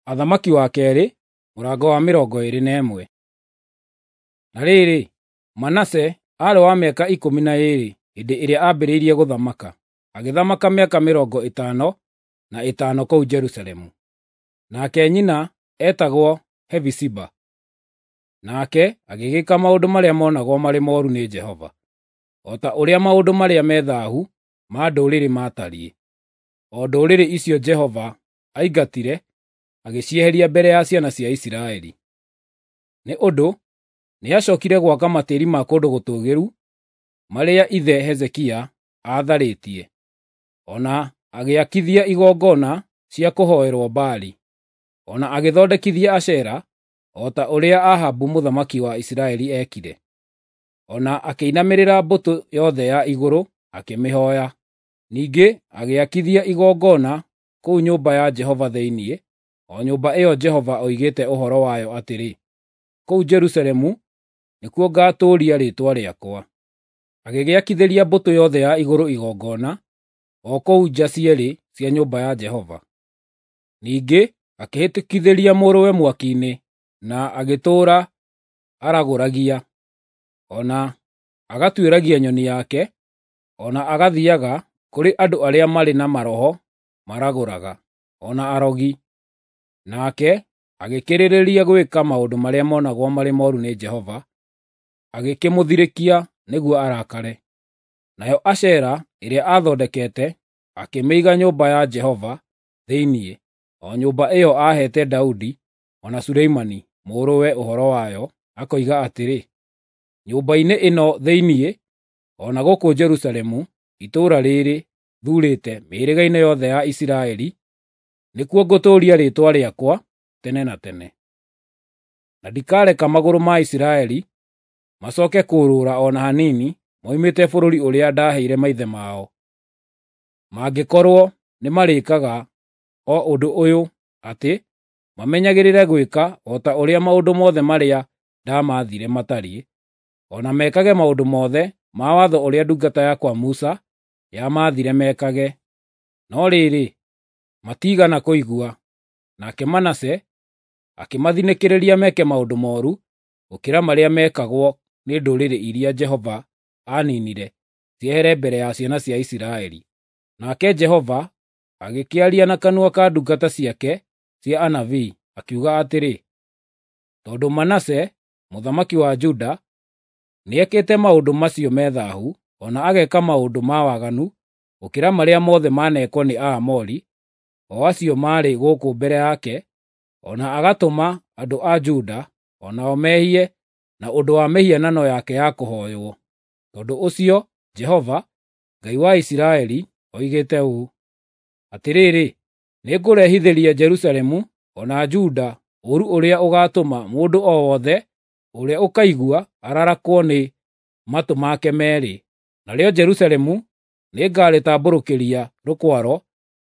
Athamaki wa kerĩ mũrango wa 21. Na rĩrĩ, Manase aarĩ wa mĩaka 12 hĩndĩ ĩrĩa aambĩrĩirie gũthamaka, agĩthamaka mĩaka 55 kũu Jerusalemu. Nake nyina eetagwo Hefisiba. Nake agĩgĩka maũndũ marĩa monagwo marĩ mooru nĩ Jehova, o ta ũrĩa maũndũ marĩa me thaahu ma ndũrĩrĩ maatariĩ, o ndũrĩrĩ icio Jehova aingatire agĩcieheria mbere ya ciana cia Isiraeli. Nĩ ũndũ nĩacookire gwaka matĩĩri ma kũndũ gũtũũgĩru marĩa ithe Hezekia aatharĩtie, o na agĩakithia igongona cia kũhooerwo Baali, o na agĩthondekithia Ashera o ta ũrĩa Ahabu mũthamaki wa Isiraeli eekire. O na akĩinamĩrĩra mbũtũ yothe ya igũrũ akĩmĩhooya. Ningĩ agĩakithia igongona kũu nyũmba ya Jehova thĩinĩ, o nyũmba ĩyo Jehova oigĩte ũhoro wayo atĩrĩ, “Kũu Jerusalemu nĩkuo ngaatũũria Rĩĩtwa rĩakwa.” Agĩgĩakithĩria mbũtũ yothe ya igũrũ igongona, o kũu nja cierĩ cia nyũmba ya Jehova. Ningĩ akĩhĩtũkithĩria mũrũwe mwaki-inĩ na agĩtũũra aragũragia, o na agatuĩragia nyoni yake, o na agathiiaga kũrĩ andũ arĩa marĩ na maroho maragũraga, o na arogi. Nake agĩkĩrĩrĩria gwĩka maũndũ marĩa monagwo marĩ mooru nĩ Jehova, agĩkĩmũthirĩkia nĩguo arakare. Nayo Ashera ĩrĩa aathondekete akĩmĩiga nyũmba ya Jehova thĩinĩ, o nyũmba ĩyo aaheete Daudi o na Suleimani mũrũwe ũhoro wayo, akoiga atĩrĩ, “Nyũmba-inĩ ĩno thĩinĩ, o na gũkũ Jerusalemu, itũũra rĩĩrĩ thuurĩte mĩhĩrĩga-inĩ yothe ya Isiraeli, nĩkuo ngũtũũria Rĩĩtwa rĩakwa tene na tene. Na ndikareka magũrũ ma Isiraeli macooke kũũrũra o na hanini moimĩte bũrũri ũrĩa ndaaheire maithe mao, mangĩkorwo nĩmarĩĩkaga o ũndũ ũyũ atĩ mamenyagĩrĩre gwĩka o ta ũrĩa maũndũ mothe marĩa ndamaathire matariĩ, o na mekage maũndũ mothe ma watho ũrĩa ndungata yakwa Musa yamaathire mekage.” No rĩrĩ, matiigana kũigua. Nake Manase akĩmathinĩkĩrĩria meke maũndũ mooru gũkĩra marĩa meekagwo nĩ ndũrĩrĩ iria Jehova aaniinire ciehere mbere ya ciana cia Isiraeli. Nake Jehova agĩkĩaria na kanua ka ndungata ciake cia anabii, akiuga atĩrĩ, “Tondũ Manase mũthamaki wa Juda nĩekĩte maũndũ macio me thaahu, o na ageka maũndũ ma waganu gũkĩra marĩa mothe maneekwo nĩ Aamori, o acio maarĩ gũkũ mbere yake, o na agatũma andũ a Juda o nao mehie na ũndũ wa mĩhianano yake ya kũhooywo, tondũ ũcio Jehova, Ngai wa Isiraeli, oigĩte ũũ: Atĩrĩrĩ, nĩngũrehithĩria Jerusalemu o na Juda ũũru ũrĩa ũgaatũma mũndũ o wothe ũrĩa ũkaigua ararakwo nĩ matũ make meerĩ. Narĩo Jerusalemu nĩngarĩtambũrũkĩria rũkwaro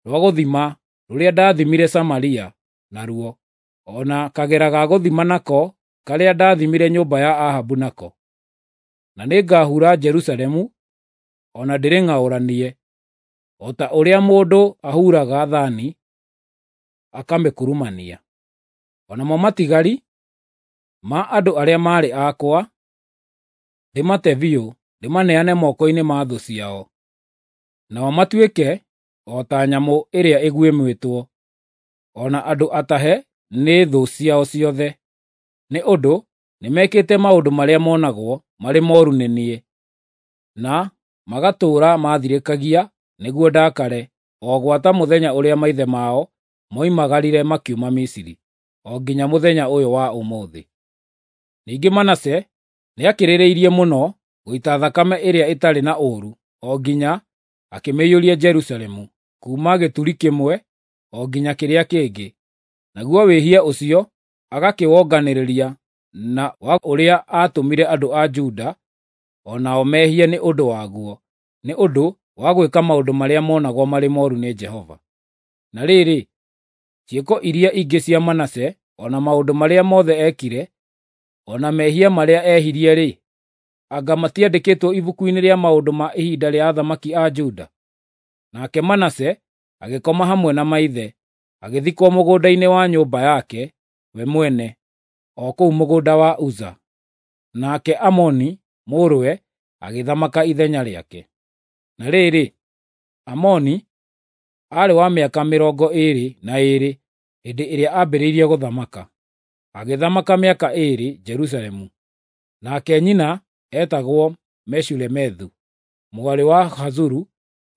rwa gũthima rũrĩa ndaathimire Samaria naruo, o na kagera ga gũthima nako karĩa ndaathimire nyũmba ya Ahabu nako. Na nĩngahura Jerusalemu o na ndĩrĩng'aũranie, o ta ũrĩa mũndũ ahuraga thaani akamĩkurumania. O namo matigari ma andũ arĩa maarĩ akwa ndĩmate biũ ndĩmaneane moko-inĩ ma thũ ciao, nao matuĩke o ta nyamũ ĩrĩa ĩguĩmĩtwo, o na andũ atahe nĩ thũ ciao ciothe, nĩ ũndũ nĩmekĩte maũndũ marĩa monagwo marĩ mooru nĩ niĩ, na magatũũra maathirĩkagia nĩguo ndakare, o gwata mũthenya ũrĩa maithe mao moimagarire makiuma Misiri, o nginya mũthenya ũyũ wa ũmũthĩ. Ningĩ Manase nĩakĩrĩrĩirie mũno gũita thakame ĩrĩa ĩtarĩ na ũũru o nginya akĩmĩiyũria Jerusalemu, kuuma gĩturi kĩmwe o nginya kĩrĩa kĩngĩ. Naguo wĩhia ũcio agakĩwonganĩrĩria na wa ũrĩa aatũmire andũ a Juda o nao mehie nĩ ũndũ waguo, nĩ ũndũ wa gwĩka maũndũ marĩa monagwo marĩ mooru nĩ Jehova. Na rĩrĩ, ciĩko iria ingĩ cia Manase, o na maũndũ marĩa mothe eekire, o na mehia marĩa ehirie-rĩ, anga matiandĩkĩtwo ibuku-inĩ rĩa maũndũ ma ihinda rĩa athamaki a Juda? Nake Manase agĩkoma hamwe na maithe, agĩthikwo mũgũnda-inĩ wa nyũmba yake we mwene, o kũu mũgũnda wa Uza. Nake Amoni mũrũwe agĩthamaka ithenya rĩake. Na rĩrĩ, Amoni aarĩ wa mĩaka 22 hĩndĩ ĩrĩa aambĩrĩirie gũthamaka, agĩthamaka mĩaka 2 Jerusalemu. Nake nyina eetagwo Meshulemethu mwarĩ wa Hazuru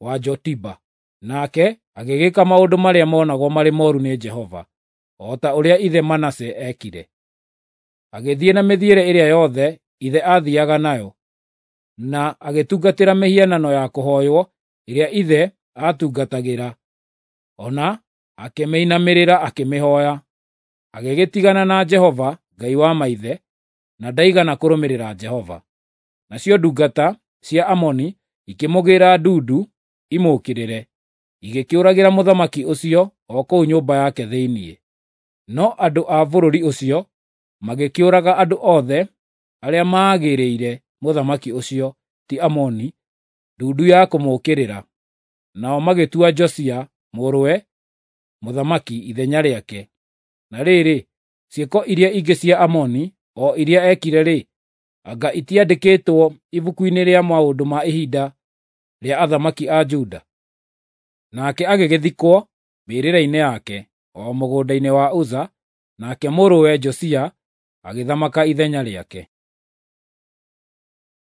wa Jotiba. Nake agĩgĩka maũndũ marĩa monagwo marĩ mooru nĩ Jehova, o ta ũrĩa ithe Manase eekire. Agĩthiĩ na mĩthiĩre ĩrĩa yothe ithe aathiiaga nayo, na agĩtungatĩra mĩhianano ya kũhooywo ĩrĩa ithe aatungatagĩra, o na akĩmĩinamĩrĩra akĩmĩhooya. Agĩgĩtigana na Jehova, Ngai wa maithe, na ndaigana kũrũmĩrĩra Jehova. Nacio ndungata cia Amoni ikĩmũgĩĩra ndundu imũũkĩrĩre, igĩkĩũragĩra mũthamaki ũcio o kũu nyũmba yake thĩinĩ. No andũ a bũrũri ũcio magĩkĩũraga andũ othe arĩa maagĩrĩire mũthamaki ũcio, ti Amoni, ndundu ya kũmũũkĩrĩra, nao magĩtua Josia mũrũwe mũthamaki ithenya rĩake. Na rĩrĩ, ciĩko iria ingĩ cia Amoni, o iria eekire-rĩ, anga itiandĩkĩtwo ibuku-inĩ rĩa maũndũ ma ihinda rĩa athamaki a Juda? Nake agĩgĩthikwo mbĩrĩra-inĩ yake, o mũgũnda-inĩ wa Uza, nake mũrũwe Josia agĩthamaka ithenya rĩake.